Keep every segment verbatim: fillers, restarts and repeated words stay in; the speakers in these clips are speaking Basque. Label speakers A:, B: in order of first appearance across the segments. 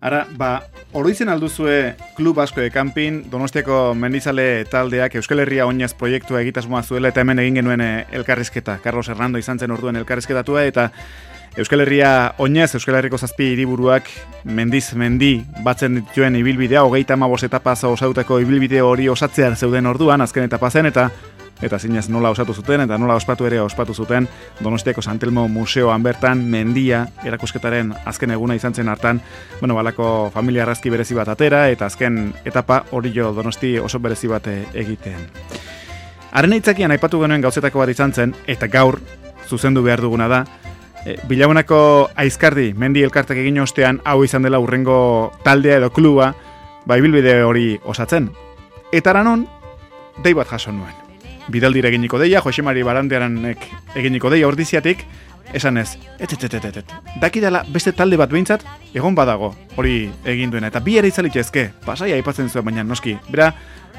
A: Ara, ba, oroitzen alduzue klub asko de camping, Donostiako mendizale taldeak Euskal Herria oinez proiektua egitasmoa zuela eta hemen egin genuen elkarrizketa. Carlos Hernando izan zen orduen elkarrizketatua eta Euskal Herria oinez, Euskal Herriko zazpi hiriburuak mendiz mendi batzen dituen ibilbidea, hogeita hamabost etapaz osautako ibilbide hori osatzear zeuden orduan, azken etapa zen eta eta zinez nola osatu zuten eta nola ospatu ere ospatu zuten Donostiako San Telmo museoan bertan mendia erakusketaren azken eguna izan zen hartan, bueno, balako familia arrazki berezi bat atera eta azken etapa hori jo Donosti oso berezi bat egiten. Haren aitzakian aipatu genuen gauzetako bat izan zen eta gaur zuzendu behar duguna da, e, Bilagunako Aizkardi mendi elkartak egin ostean hau izan dela urrengo taldea edo kluba, ba ibilbide hori osatzen. Eta aranon, dei bat jaso nuen. Bidaldira eginiko deia, Josemari Barandiaranek eginiko deia ordiziatik, esan ez, et, et, et, et, et, dakidala beste talde bat behintzat, egon badago, hori egin duena, eta bi ere izalitezke, pasai aipatzen zuen, baina noski, bera,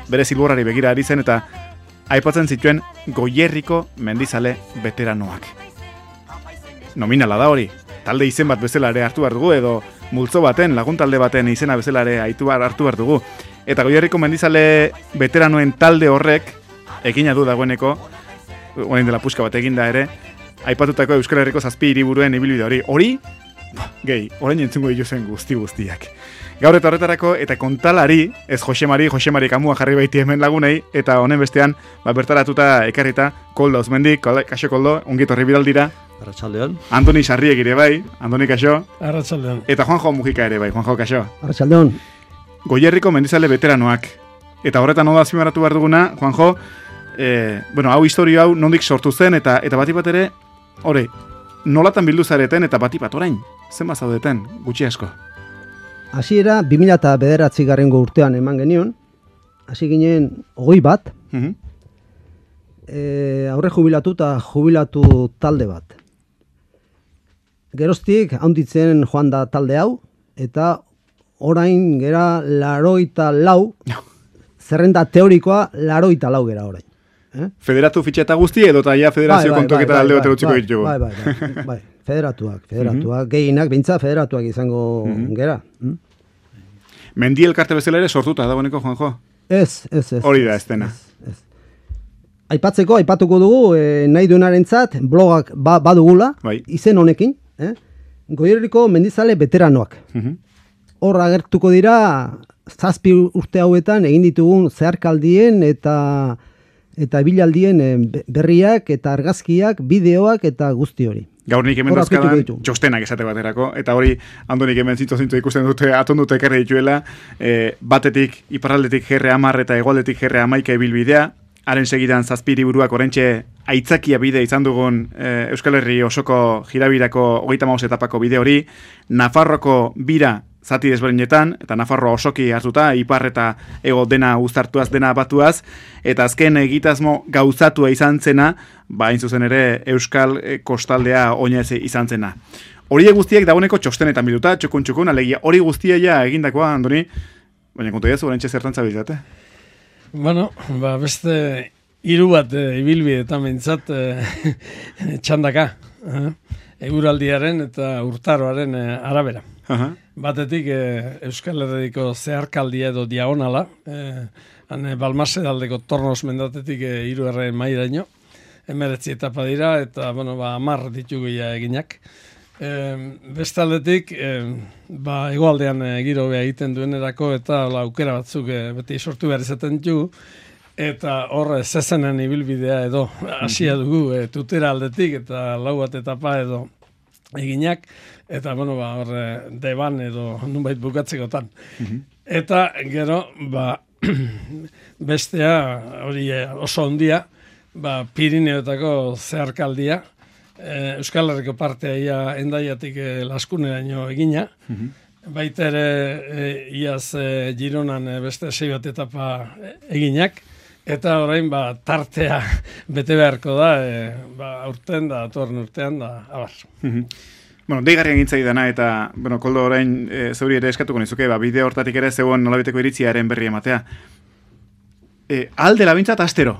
A: bere zilborrari begira ari zen, eta aipatzen zituen Goierriko mendizale veteranoak. Nominala da hori, talde izen bat bezala ere hartu behar dugu, edo multzo baten, lagun talde baten izena bezala ere hartu behar dugu, eta Goierriko mendizale veteranoen talde horrek, egina du dagoeneko, orain dela puska bat eginda ere, aipatutako Euskal Herriko zazpi hiriburuen ibilbide hori. Hori, gehi, orain entzungo dituzen guzti guztiak. Gaur eta horretarako, eta kontalari, ez Josemari, Josemari kamua jarri baiti hemen lagunei, eta honen bestean, ba, bertaratuta ekarrita, Koldo Uzmendi, kaixo Koldo, ongit horri bidaldira.
B: Arratsaldeon.
A: Antoni Sarriek ere bai, Antoni kaixo.
C: Arratsaldeon.
A: Eta Juanjo Mujika ere bai, Juanjo kaixo.
B: Arratsaldeon.
A: Goierriko mendizale veteranoak. Eta horretan ondo azpimarratu behar duguna, Juanjo, E, bueno, hau historio hau nondik sortu zen eta eta bati bat ere, hori, nolatan bildu zareten eta bati bat orain, zenbat zaudeten, gutxi asko?
B: Hasiera bi mila bederatzigarrengo urtean eman genion, hasi ginen hogei bat,
A: uh-huh.
B: e, aurre jubilatu eta jubilatu talde bat. Geroztik handitzen joan da talde hau, eta orain gera laroita lau, zerrenda teorikoa laroita lau gera orain. Eh?
A: Federatu fitxeta guzti edo eta ja federazio bai, bai, kontuak eta bai, alde bat erutziko
B: bai,
A: ditugu.
B: Bai, bai, bai, bai, federatuak, federatuak, uh-huh. gehienak, bintza federatuak izango uh-huh. gera. Hmm?
A: Mendi elkarte bezala ere sortuta dagoeneko, Juanjo?
B: Ez, ez, ez.
A: Hori da, ez dena.
B: Ez, ez. Aipatzeko, aipatuko dugu, eh, nahi duenarentzat blogak ba, badugula,
A: bai.
B: izen honekin, eh? Goierriko mendizale veteranoak.
A: Uh-huh.
B: Hor agertuko dira, zazpi urte hauetan egin ditugun zeharkaldien eta eta bilaldien berriak eta argazkiak, bideoak eta guzti hori.
A: Gaur nik hemen dozkadan txostenak esate baterako, eta hori handonik hemen zintu zintu ikusten dute, atondute ekarri dituela, e, batetik, iparraldetik gerre amar eta hegoaldetik gerre amaika ibilbidea, haren segidan zazpi hiriburuak oraintxe aitzakia bide izan dugun e, Euskal Herri osoko jirabirako hogeita hamabost etapako bide hori, Nafarroko bira zati desberdinetan, eta Nafarroa osoki hartuta, ipar eta ego dena uztartuaz, dena batuaz, eta azken egitasmo gauzatua izan zena, ba, hain zuzen ere Euskal kostaldea oinez izan zena. Hori guztiak dagoeneko txostenetan biduta, txukun txukun, alegia hori guztia ja egindakoa, Andoni, baina kontu jazu, oraintxe zertan zabiltzate?
C: Bueno, ba, beste hiru bat e, ibilbide eta mentzat e, txandaka, eh? Eguraldiaren eta urtaroaren e, arabera.
A: Aha.
C: Batetik e, Euskal Herriko zeharkaldia edo diagonala, e, hane Balmase daldeko Tornos mendatetik e, hiru erren mairaino, emeretzi etapa dira, eta bueno, ba, amar ditugu ja eginak. E, bestaldetik, e, ba, egoaldean e, giro beha egiten duenerako, eta la, aukera batzuk e, beti sortu behar izaten dugu, eta hor zezenen ibilbidea edo hasia dugu e, tutera aldetik, eta lau bat etapa edo eginak, eta, bueno, ba, horre, deban edo nunbait bukatzekotan. Uh-huh. Eta, gero, ba, bestea, hori oso ondia, ba, Pirineotako zeharkaldia, e, Euskal Herriko partea ia endaiatik e, laskuneraino egina, uh-huh. baita ere, e, iaz e, Gironan e, beste sei bat etapa eginak, eta orain, ba, tartea bete beharko da, e, ba, aurten da, atorren urtean da, abar.
A: Uh-huh. Bueno, deigarrian gintzai dana, eta, bueno, Koldo orain e, zeuri ere eskatuko nizuke, ba, bideo hortatik ere zegoen nolabiteko iritziaren berri ematea. E, alde labintzat astero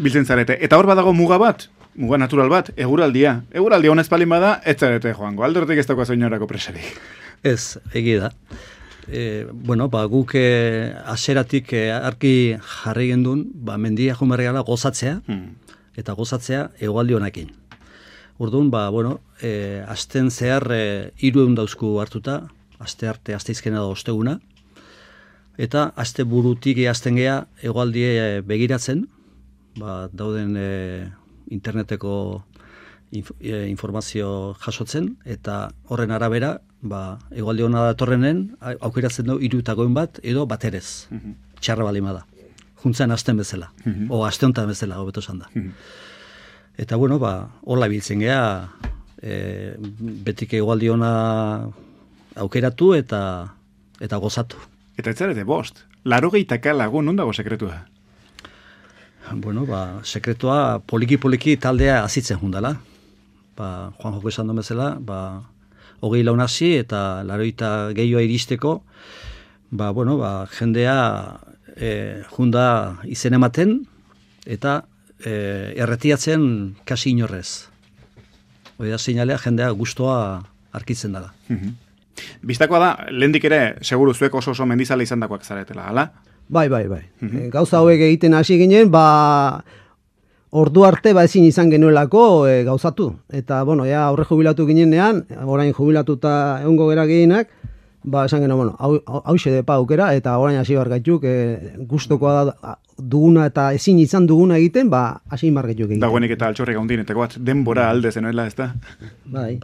A: biltzen zarete. Eta hor badago muga bat, muga natural bat, eguraldia. Eguraldia honez palin bada, ez zarete joango. Aldortik ez dagoa zoinorako presarik.
D: Ez, egi da. E, bueno, ba, guk e, aseratik e, arki jarri gendun, ba, mendia jumerreala gozatzea, hmm. eta gozatzea egualdi honekin. Orduan, ba, bueno, e, asten zehar e, hiru ehun dauzku hartuta, aste arte, aste izkena da osteguna, eta aste burutik eazten gea egualdie begiratzen, ba, dauden e, interneteko inf, e, informazio jasotzen, eta horren arabera, ba, egualdi hona datorrenen, aukeratzen du irutagoen bat, edo baterez, mm -hmm. txarra balima da. Juntzen asten bezala, mm -hmm. o aste honetan bezala, hobeto esan da. Mm -hmm. Eta, bueno, ba, hola biltzen gea, e, betik egualdi hona aukeratu eta eta gozatu.
A: Eta ez zarete bost, laro gehitaka lagun, non dago sekretua?
D: Bueno, ba, sekretua poliki-poliki taldea azitzen jundala. Ba, Juan Joko esan duen bezala, ba, hogei laun hasi eta laroita gehioa iristeko, ba, bueno, ba, jendea e, junda izen ematen eta e, erretiatzen kasi inorrez. Hoi da seinalea jendea gustoa arkitzen dela.
A: Mm-hmm. Biztakoa da, lehendik ere, seguru zuek oso oso mendizale izan dakoak zaretela, ala?
B: Bai, bai, bai. Mm-hmm. Gauza hauek egiten hasi ginen, ba, ordu arte ba ezin izan genuelako e, gauzatu. Eta, bueno, ja, aurre jubilatu ginenean, orain jubilatuta egongo gera gehienak, ba, esan genuen, bueno, hau, hau xe aukera, eta orain hasi bargaituk, e, gustokoa da, duguna eta ezin izan duguna egiten, ba, hasi margaituk egiten.
A: Dagoenik eta altxorrek gaundinetako bat, denbora alde zenuela, ez da?
B: Bai.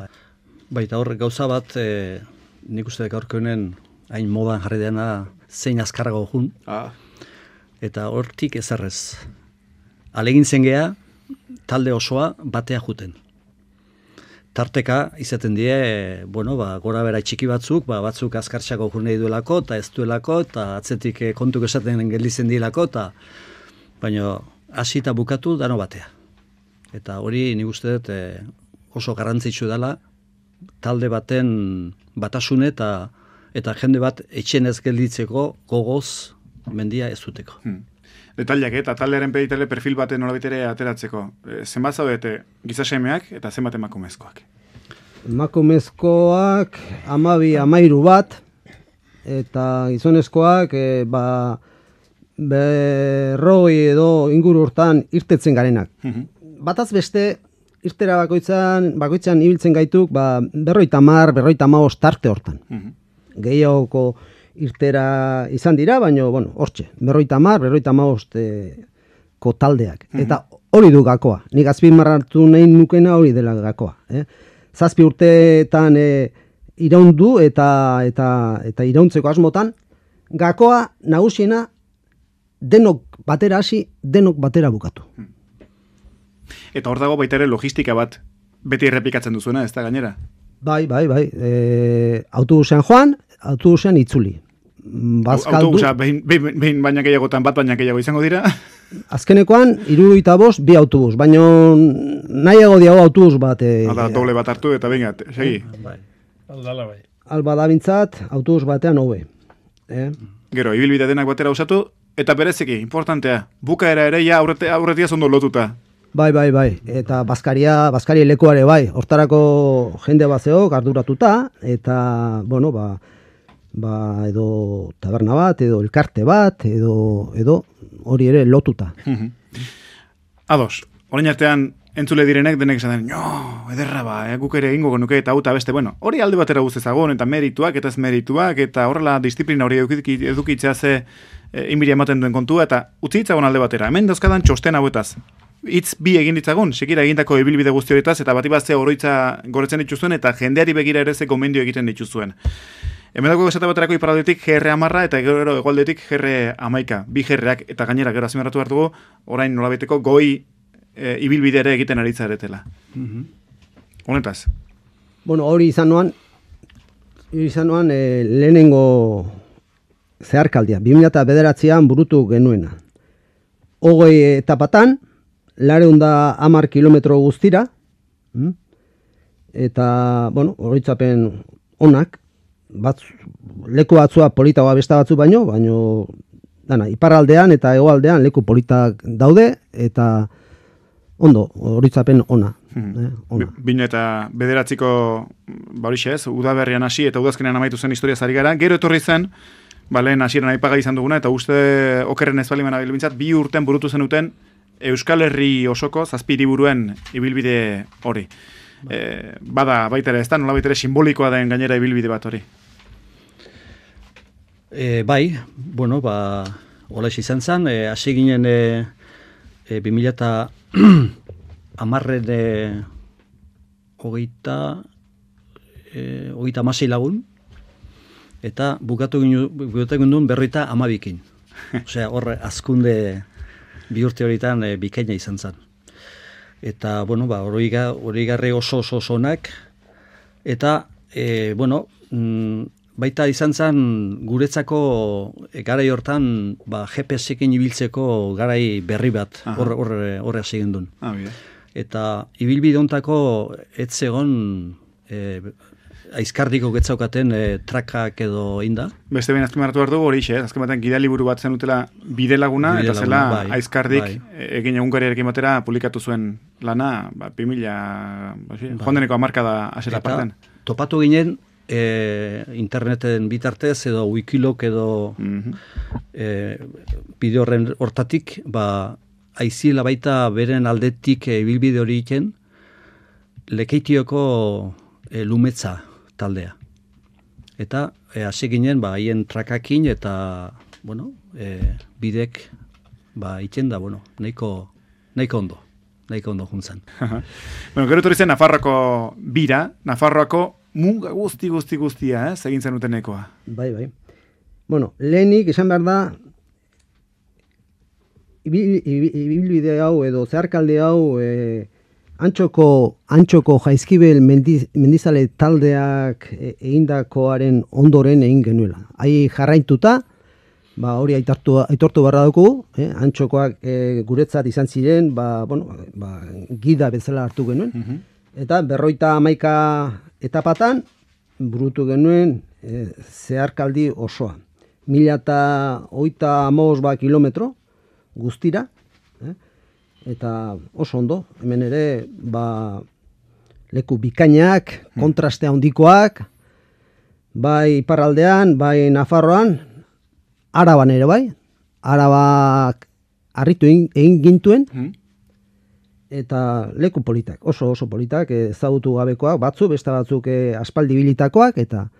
D: Baita horrek gauza bat, e, nik uste dek aurkeunen hain modan jarri dena zein azkarrago jun. Ah. Eta hortik ezarrez. Alegintzen gea, talde osoa batea juten. Tarteka izaten die, bueno, ba, gora bera txiki batzuk, ba, batzuk azkartxako jurnei duelako, eta ez duelako, eta atzetik kontuk esaten gelditzen dielako, eta baina hasi eta bukatu dano batea. Eta hori nik uste dut e, oso garrantzitsu dela, talde baten batasune eta eta jende bat etxen ez gelditzeko gogoz mendia ez duteko. Hmm.
A: Detaliak eta taldearen peditele perfil baten nolabitere ateratzeko. E, zenbat zaudete gizasemeak eta zenbat emakumezkoak?
B: Emakumezkoak amabi amairu bat eta gizonezkoak e, ba, berroi edo inguru hortan irtetzen garenak. Hmm. Bataz beste irtera bakoitzan, bakoitzan ibiltzen gaituk, ba, berroita mar, berroita maoz tarte hortan. Mm-hmm. Gehiagoko irtera izan dira, baina, bueno, hortxe, berroita mar, berroita maoz ko taldeak. Mm-hmm. Eta hori du gakoa. Nik azpimarratu nahi nukena hori dela gakoa. Eh? Zazpi urteetan e, iraundu eta, eta, eta irauntzeko asmotan, gakoa nagusiena denok batera hasi, denok batera bukatu. Mm.
A: Eta hor dago baita ere logistika bat beti errepikatzen duzuena, ez da gainera?
B: Bai, bai, bai. E, autobusean joan, autobusean itzuli. Bazkaldu...
A: Autobusa, behin, behin, behin baina gehiagotan bat baina gehiago izango dira?
B: Azkenekoan, hirurogeita bost, bi autobus. Baina nahiago diago autobus bat. E,
A: Ada, doble bat hartu eta benga, segi.
C: Bai, aldala bai.
B: Alba da bintzat, autobus batean hobe. Eh?
A: Gero, ibilbide denak batera usatu, eta berezeki, importantea, bukaera ere ja aurretia, aurretia zondo lotuta.
B: Bai, bai, bai. Eta Baskaria, Baskaria lekuare bai. Hortarako jende bat zeok arduratuta, eta, bueno, ba, ba, edo taberna bat, edo elkarte bat, edo, edo hori ere lotuta.
A: Ados, orain artean entzule direnek denek esaten, no, ederra ba, eh, guk ere egingo genuke eta uta beste, bueno, hori alde batera guztezagon, eta merituak, eta ez merituak, eta horrela disiplina hori edukitzea ze e, inbiri ematen duen kontua, eta utzi ditzagon alde batera. Hemen dauzkadan txosten hauetaz. Itz bi egin ditzagun, sekira egindako ibilbide guzti horietaz, eta bat ibaztea oroitza goretzen dituzuen, eta jendeari begira ere ze gomendio egiten dituzuen. Hemen dago esate baterako iparaldetik G R hamarra eta gero egualdetik G R hamaika, bi G R-ak, eta gainera gero azpimarratu behar dugu, orain nolabiteko goi e, ibilbide ere egiten ari zaretela. Mm-hmm. Honetaz?
B: Bueno, hori izan noan, hori izan noan e, lehenengo zeharkaldia, bi mila bederatzian burutu genuena. Hogei etapatan, lareunda hamar kilometro guztira, mm? eta, bueno, horitzapen onak, bat, leku batzua politagoa besta batzu baino, baino, dana, iparraldean eta hegoaldean leku politak daude, eta ondo, horitzapen ona. Eh, ona.
A: Bino eta bederatziko, ba horixe ez, udaberrian hasi eta udazkenean amaitu zen historia zari gara. Gero etorri zen, ba lehen hasieran aipaga izan duguna, eta uste okerren ez baliman abilbintzat, bi urten burutu zenuten Euskal Herri osoko zazpi hiriburuen ibilbide hori. E, bada baita ere ez da, nola baita ere simbolikoa den gainera ibilbide bat hori.
D: E, bai, bueno, ba, hola izan zen, e, hasi ginen e, e, bi mila eta hamarren e, hogeita, e, hogeita amasei lagun, eta bukatu ginen berroita amabikin. Osea, hor azkunde bi urte horietan e, bikaina izan zen. Eta, bueno, ba, hori garri oso oso onak, eta, e, bueno, mm, baita izan zen guretzako e, garai hortan ba, G P S-ekin ibiltzeko garai berri bat horre hasi gendun.
A: Ah, bide.
D: Eta ibilbide hontako ez zegon e, aizkardiko getzaukaten e, trakak edo inda.
A: Beste behin azken hartu behar dugu hori xe, azken batean gidaliburu bat zen utela bide laguna,
D: bide
A: eta zela
D: bai,
A: aizkardik
D: bai.
A: egin egunkariarekin batera publikatu zuen lana, ba, bi mila, ba, bai. jondeneko amarka da asera parten.
D: Topatu ginen e, interneten bitartez edo wikilok edo mm-hmm. e, bideo horren hortatik, ba, aiziela baita beren aldetik ibilbide e, hori iken, Lekeitioko e, lumetza taldea. Eta hasi e, ginen ba haien trakakin eta bueno, e, bidek ba itzen da, bueno, nahiko nahiko ondo, nahiko ondo juntzan.
A: Bueno, gero etorri zen Nafarroako bira, Nafarroako muga guzti guzti guztia, eh, egin zenutenekoa.
B: Bai, bai. Bueno, lehenik esan behar da ibilbide hau edo zeharkalde hau e, Antxoko, antxoko jaizkibel mendiz, mendizale taldeak egindakoaren ondoren egin genuela. Hai jarraituta, ba, hori aitortu, aitortu barra dugu, eh? Antxokoak e, guretzat izan ziren, ba, bueno, ba, gida bezala hartu genuen. Mm-hmm. Eta berroita hamaika etapatan, burutu genuen e, zeharkaldi osoa. Mila eta oita amos ba kilometro guztira, eh? Eta oso ondo, hemen ere ba, leku bikainak, kontraste handikoak, bai iparraldean, bai Nafarroan, Araban ere bai, Arabak harritu egin gintuen, eta leku politak, oso oso politak, ezagutu gabekoak, batzu, beste batzuk aspaldi bilitakoak, eta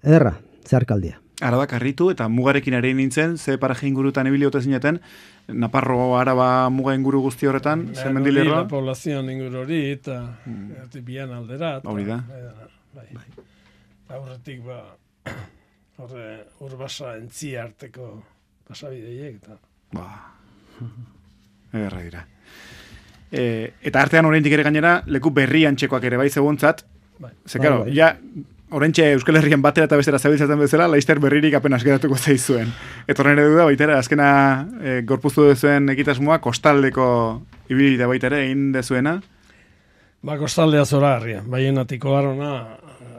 B: erra, zeharkaldia.
A: Arabak harritu eta mugarekin ere nintzen, ze paraje ingurutan ibili ote zineten, Naparro Araba muga inguru guzti horretan, ze mendilerroa?
C: La poblazioan inguru hori, eta mm. bian aldera.
A: Hori da.
C: Bai. Aurretik, ba, horre, urbasa entzia arteko pasabideiek, eta...
A: Ba, erra dira. E, eta artean oraindik ere gainera, leku berri antxekoak ere bai zegontzat, bai. Ze, karo, bai, bai. Ja... Horentxe Euskal Herrian batera eta bestera zabiltzaten bezala, Laister berririk apenas geratuko zaizuen. Eta horren ere duda, baitera, azkena e, gorpuztu duzuen ekitasmoa, kostaldeko ibilbidea baitera egin dezuena?
C: Ba, kostaldea zora harria. Baionatiko barona,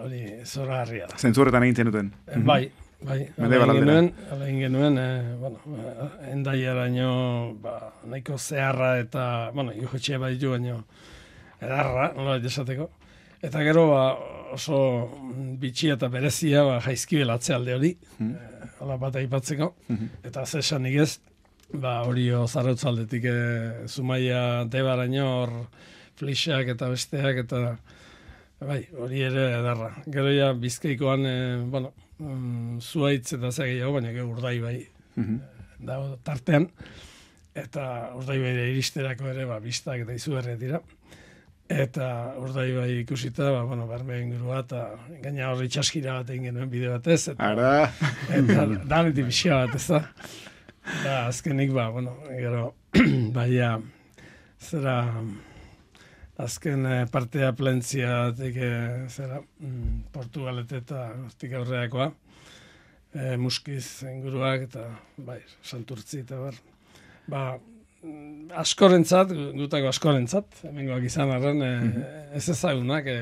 C: hori zora harria da.
A: Zentzurretan egin zenuten?
C: E, bai, bai. Ala genuen, ala genuen, e, bueno, endaiaraino, ba, nahiko zeharra eta, bueno, jotxe baditu baino, edarra, nola esateko. Eta gero, ba, oso bitxia eta berezia ba, jaizkibel atzealde hori, mm. e, ala bat aipatzeko, mm-hmm. eta zesanik ez, ba, hori zarautzaldetik e, Zumaia Debaraino hor flixak eta besteak, eta bai, hori ere edarra. Gero ja Bizkaikoan, e, bueno, um, zuaitz eta zea gehiago, baina gero Urdaibai mm-hmm. da tartean, eta Urdaibai iristerako ere, ba, biztak eta izugarriak dira. Eta Urdaibai ikusita, ba, bueno, berme ingurua, eta gaina horri txaskira bat egin genuen bide batez. Eta,
A: Ara!
C: Eta daneti pixia bat, ez da. Eta azkenik, ba, bueno, gero, baina, zera, azken eh, partea plentzia, teke, zera, mm, Portugalete eta hortik aurreakoa, eh, Muskiz inguruak, eta, bai, Santurtzi, eta bar, ba, askorentzat, gutako askorentzat, hemengoak izan arren, e, ez ezagunak, e,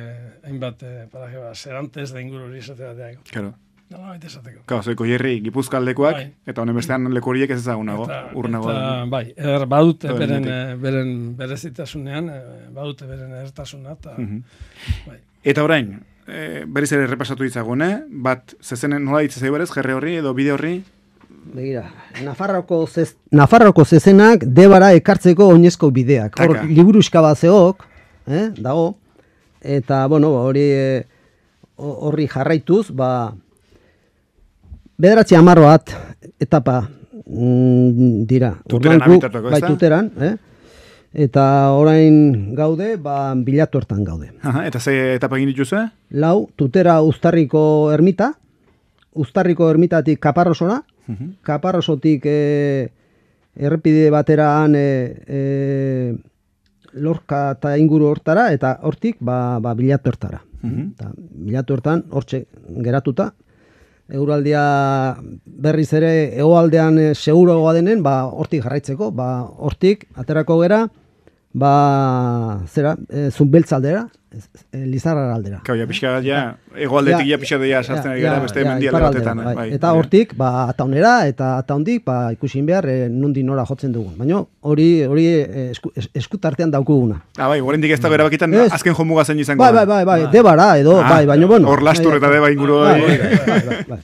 C: hainbat, e, paraje, ba, Serantes da inguru hori esate bateako.
A: Claro.
C: Nola baita esateko.
A: Kau, zoiko jerri gipuzkaldekoak,
C: Bai.
A: eta honen bestean leku horiek ez ezagunago,
C: Eta,
A: urnago.
C: eta, bai, eder badute
A: Eta
C: beren,
A: benetik.
C: eh, beren berezitasunean, eh, badute beren edertasuna, eta,
A: Mhm.
C: bai.
A: Eta orain, e, berriz ere repasatu ditzagune, bat, zezenen nola ditzazai berez, jerre horri edo bide horri?
B: Begira, Nafarroko, zez, Nafarroko zezenak debara ekartzeko oinezko bideak. Hor,
A: Taka.
B: liburuska bat zeok, eh, dago, eta, bueno, hori eh, horri jarraituz, ba, bederatzi hamar bat etapa mm, dira.
A: Tuteran
B: Orduan guk,
A: abitatako,
B: bai,
A: ezta?
B: tuteran, eh? Eta orain gaude, ba, bilatu hortan gaude.
A: Aha, eta ze etapa egin dituzue?
B: Lau, tutera Uztarriko ermita, Uztarriko ermitatik Kaparrosora,
A: Mhm.
B: Kaparrosotik e, errepide bateraan e, e, Lorka eta inguru hortara, eta hortik ba, ba, bilatu hortara.
A: Mhm.
B: Eta bilatu hortan, hortxe geratuta, Euraldia berriz ere hegoaldean e, seguroagoa denen, ba, hortik jarraitzeko, ba, hortik aterako gera, ba, zera, e, Zunbeltza aldera, e, Lizarra aldera.
A: Kau, ja pixka ja, egoaldetik ja pixka ja sartzen ari gara beste mendialde
B: iparraldera,
A: batetan.
B: bai.
A: bai.
B: Eta hortik, ba, ataunera, eta ataundik, ba, ikusin behar, e, nundi nora jotzen dugun. Baina hori hori e, esku, es, eskutartean daukuguna.
A: Ah, bai, oraindik ez dago erabakitan
B: Ez.
A: azken jomuga zein izango
B: Bai,
A: da.
B: bai, bai, bai, debara edo,
A: Ah,
B: bai, baina bueno.
A: hor Lastur eta Deba inguru
B: Bai,
A: hori.
B: bai, bai, bai, bai.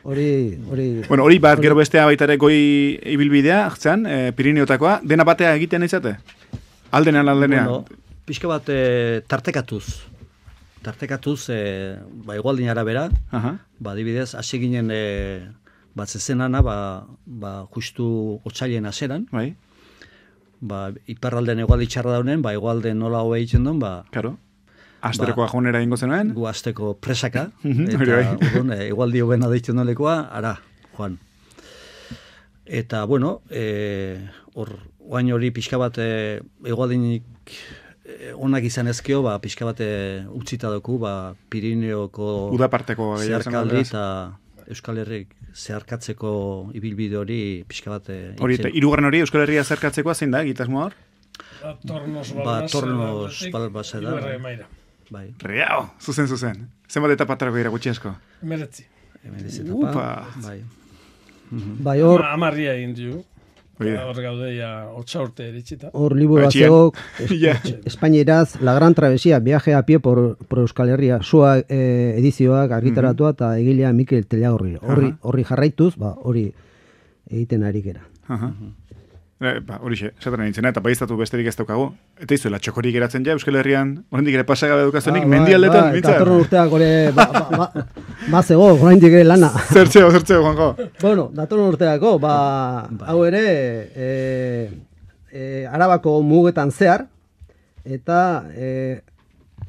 B: Hori, hori...
A: Bueno, hori bat, gero bestea baita ere goi ibilbidea, hartzen, e, Pirineotakoa, dena batea egiten izate? Aldenean, aldenean.
D: Bueno, pixka bat e, tartekatuz. Tartekatuz, e, ba, igualdin arabera,
A: Aha.
D: ba, adibidez, hasi ginen e, bat zezenana, ba, ba, justu otsailen aseran,
A: Bai,
D: ba, iparralden igualdi txarra daunen, ba, igualden nola hoa egiten duen, ba,
A: karo. Asterokoa jonera ingo zenuen.
D: gu asteko presaka,
A: Mhm,
D: eta
A: hori bai.
D: orduan, e, igualdi hobena deitzen duen lekoa, ara, joan. Eta, bueno, e, hor, oain hori pixka bat e, igualdinik e, onak izan ezkio, ba, pixka bat e, utzita doku, ba, Pirineoko
A: Udaparteko gehiago zen,
D: zeharkaldi
A: beraz.
D: eta Euskal Herrik zeharkatzeko ibilbide hori pixka bat e,
A: Hori, eta
D: itzen.
A: hirugarren hori Euskal Herria zerkatzekoa zein da, egitasmoa hor?
C: Ba, Tornos
D: Ba,
C: Balbasa.
D: Tornos
C: aldetik,
D: Balbasa da.
C: Iruerre Maira.
D: Bai,
A: Riao, zuzen, zuzen. Zenbat eta patrako dira gutxi asko.
C: Meretzi.
D: hemen ez
A: Upa.
D: etapa, bai.
B: Bai, hor,
C: Ama- Amarria egin du.
A: Hori da.
C: Hor gaude ja otsa urte eritxita.
B: hor liburu
A: Etxean.
B: batzuk, es,
A: Ja.
B: Espainieraz, La Gran Travesía, viaje a pie por, por Euskal Herria, sua eh, edizioak argitaratua eta egilea Mikel Telagorri. Horri,
A: Aha.
B: horri jarraituz, ba, hori egiten ari gera.
A: Aha. Eh, ba, horixe, esaten nintzen, eta baiztatu besterik ez daukagu. Eta izuela, txokorik geratzen ja, Euskal Herrian, oraindik ere pasagabe dukazunik,
B: Ah, bai,
A: mendialdetan,
B: bai,
A: mitzat.
B: datorren urteak ore, ba, ba, ba, ba zego, oraindik ere lana.
A: Zertzeo, zertzeo, Juanjo.
B: Bueno, datorren urteako, ba, hau ere, e, e, Arabako mugetan zehar, eta e,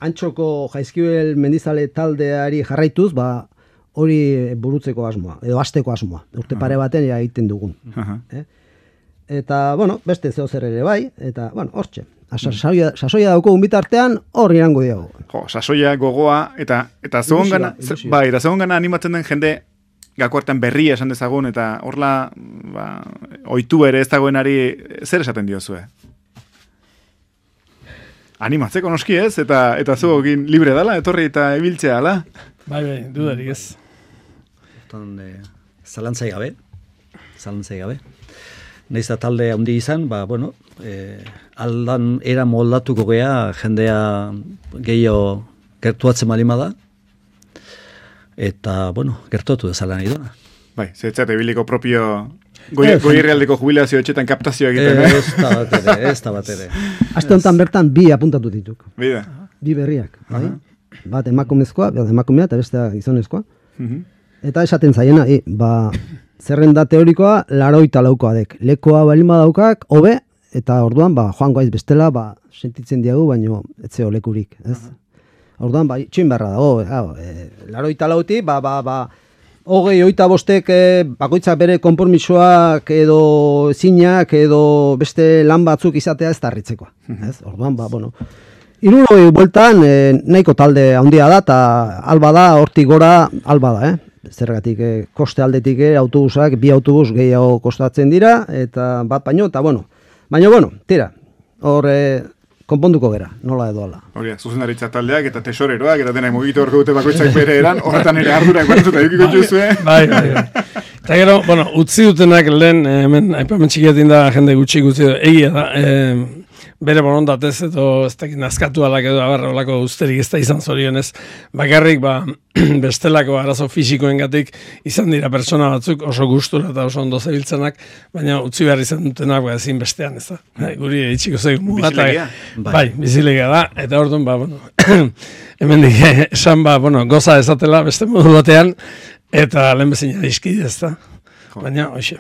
B: Antxoko Jaizkibel mendizale taldeari jarraituz, ba, hori burutzeko asmoa, edo hasteko asmoa. Urte pare baten ja egiten dugun.
A: Aha.
B: Eh? Eta, bueno, beste zeo zer ere bai, eta, bueno, hortxe. Sasoia, sasoia daukogun bitartean, hor irango diago.
A: Jo, sasoia, gogoa, eta eta zegoen
B: Ilusioa,
A: gana,
B: ilusioa.
A: bai, eta zegoen gana animatzen den jende gako hartan berria esan dezagun, eta horla, ba, oitu ere ez dagoenari zer esaten diozue? Animatzeko noski ez, eta eta zuekin libre dala, etorri eta ibiltzea dala.
C: Bai, bai, dudarik ez.
D: Hortan, e, zalantzai gabe, zalantzai gabe. Naiz da talde handi izan, ba, bueno, e, aldan era moldatuko gea, jendea gehiago gertuatzen malima da, eta, bueno, gertuatu dezala nahi duna.
A: Bai, zetzate biliko propio goi,
B: Ez.
A: goierrealdeko jubilazio etxetan kaptazioa egiten,
D: Eh,
A: eh?
D: Ez da bat ere, ez da bat ere.
B: Aste honetan bertan bi apuntatu dituk.
A: Bida.
B: Bi berriak, bai? Bat emakumezkoa, bat emakumea eta bestea gizonezkoa.
A: Mhm.
B: Eta esaten zaiena, i, ba, zerrenda teorikoa laroita laukoa dek. Lekoa balima daukak, hobe, eta orduan, ba, joan goaiz bestela, ba, sentitzen diagu, baino etzeo lekurik, ez? Orduan, ba, itxoin beharra dago, hau, e, laroita lauti, ba, ba, ba, hogei, oita bostek, e, bakoitzak bere konpormisoak edo zinak edo beste lan batzuk izatea ez da harritzekoa, ez? Orduan, ba, bueno, hirurogei bueltan e, nahiko talde handia da, eta alba da, hortik gora, alba da, eh? Zergatik, eh, koste aldetik eh, autobusak, bi autobus gehiago kostatzen dira, eta bat baino, eta bueno, baina bueno, tira, hor eh, konponduko gera, nola edo ala.
A: Hori, zuzendaritza taldeak eta tesoreroak eta denak mugitu horko dute bakoitzak bere eran, horretan ere ardurak batzuta edukiko juzue.
C: Bai, bai, bai. Eta gero, bueno, utzi dutenak lehen, hemen, aipamen txikiatin da, jende gutxi gutzi du, egia da, e, bere borondatez edo ez dakit nazkatu alak edo abarra olako usterik ez da izan zorionez, bakarrik ba, bestelako arazo fisikoengatik izan dira pertsona batzuk oso gustura eta oso ondo zebiltzenak, baina utzi behar izan dutenak ba, ezin bestean ez da. Bai, guri itxiko zeigu mugat.
A: Bizilegia.
C: Bai, bizilegia da, eta orduan ba, bueno, hemen dik esan ba, bueno, goza ezatela beste modu batean, eta lehen bezina izkide ez da. Baina, hoxe.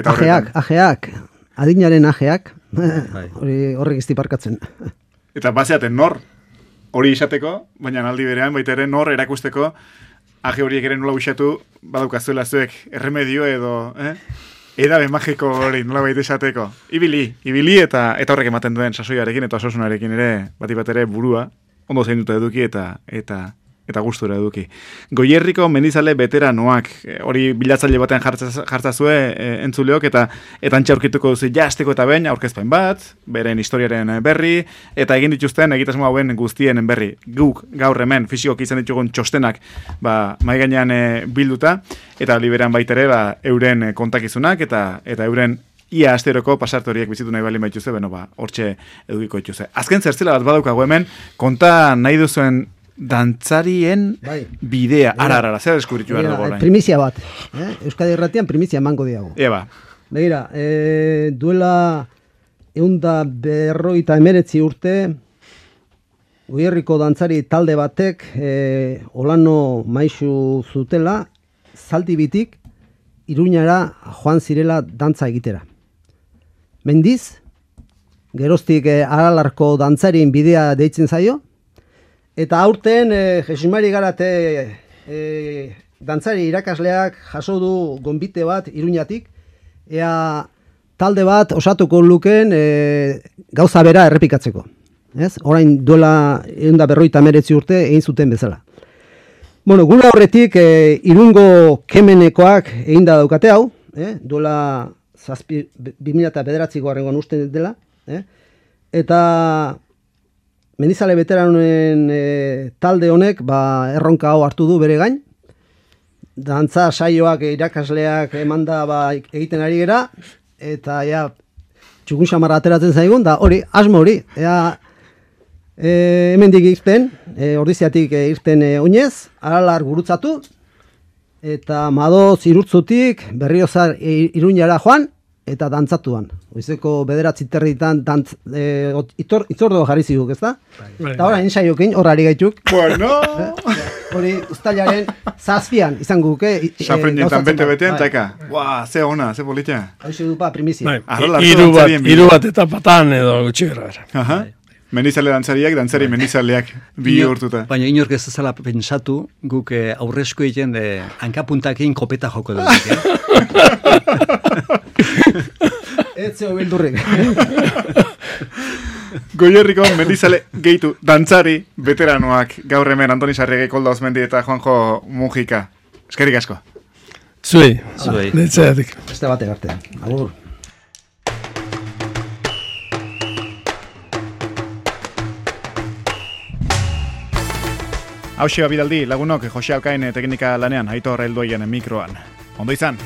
B: Ajeak, ajeak, adinaren ajeak, hori horrek iztiparkatzen.
A: Eta bazeaten nor, hori izateko, baina aldi berean, baita ere nor erakusteko, aje horiek ere nola usatu, badaukazuela zuek erremedio edo, eh? Edabe magiko hori nola baita esateko. Ibili, ibili eta eta horrek ematen duen sasoiarekin eta osasunarekin ere, bat bat ere burua, ondo zein dute eduki eta eta eta gustura eduki. Goierriko mendizale veteranoak, hori bilatzaile batean jartzazue e, entzuleok, eta eta antxe aurkituko duzu jazteko eta behin aurkezpen bat, beren historiaren berri, eta egin dituzten egitasmo hauen guztien berri. Guk gaur hemen fisikoki izan ditugun txostenak ba, mai gainean e, bilduta, eta liberan baitere ba, euren kontakizunak, eta eta euren ia asteroko pasarte horiek bizitu nahi balin baituzue, beno ba, hortxe edukiko dituzue. Azken zertzela bat badaukagu hemen, konta nahi duzuen dantzarien bai. Bidea, ara, ara, zer deskubritu behar dugu orain.
B: Primizia bat, eh? Euskadi Irratian primizia emango diago.
A: Eba.
B: Begira, e, duela eunda berroita emeretzi urte, Goierriko dantzari talde batek e, Olano maisu zutela, Zaldibitik Iruñara joan zirela dantza egitera. Mendiz, geroztik e, Aralarko dantzarien bidea deitzen zaio, eta aurten, e, Jesimari Garate e, dantzari irakasleak jaso du gonbite bat Iruñatik, ea talde bat osatuko luken e, gauza bera errepikatzeko. Ez? Orain duela eunda berroita meretzi urte egin zuten bezala. Bueno, gure horretik e, Irungo kemenekoak egin da daukate hau, eh? Duela zazpi, bi mila bederatzi goarrengoan uste dela, eh? Eta Mendizale veteranoen e, talde honek ba, erronka hau hartu du bere gain. Dantza saioak irakasleak emanda ba, egiten ari gera, eta ja, txukun xamarra ateratzen zaigun, da hori, asmo hori. Ea, e, hemendik irten, e, ordiziatik e, irten e, oinez, Aralar gurutzatu, eta Madoz Irurtzutik Berriozar e, Iruñara joan, eta dantzatuan. Oizeko bederatzi territan dantz, e, itor, itzordo jarri ziguk, ez da? Eta hori ensaiokin, horari gaituk.
A: Bueno!
B: Hori ustailaren zazpian izan guke.
A: Safrenetan bete-betean, taika. Ua, ze ona, ze politia.
B: Hau dupa primizia.
C: Iru bat, iru bat eta patan edo gutxi gara.
A: Aha. Mendizale dantzariak, dantzari mendizaleak bi urtuta.
D: Baina inork ez ezala pentsatu, guk eh, aurrezko egiten de hankapuntakin kopeta joko dut.
B: Ez zeo bildurrik.
A: Goierriko mendizale gehitu dantzari veteranoak gaur hemen Antoni Sarriegi, Kolda Osmendi eta Juanjo Mujika. Eskerrik asko.
C: Zuei.
D: Zuei.
C: Netzeatik.
B: Beste batek arte. Agur.
A: Hauxe bidaldi lagunok Jose Alkain teknika lanean, Aitor helduaien mikroan. Ondo izan.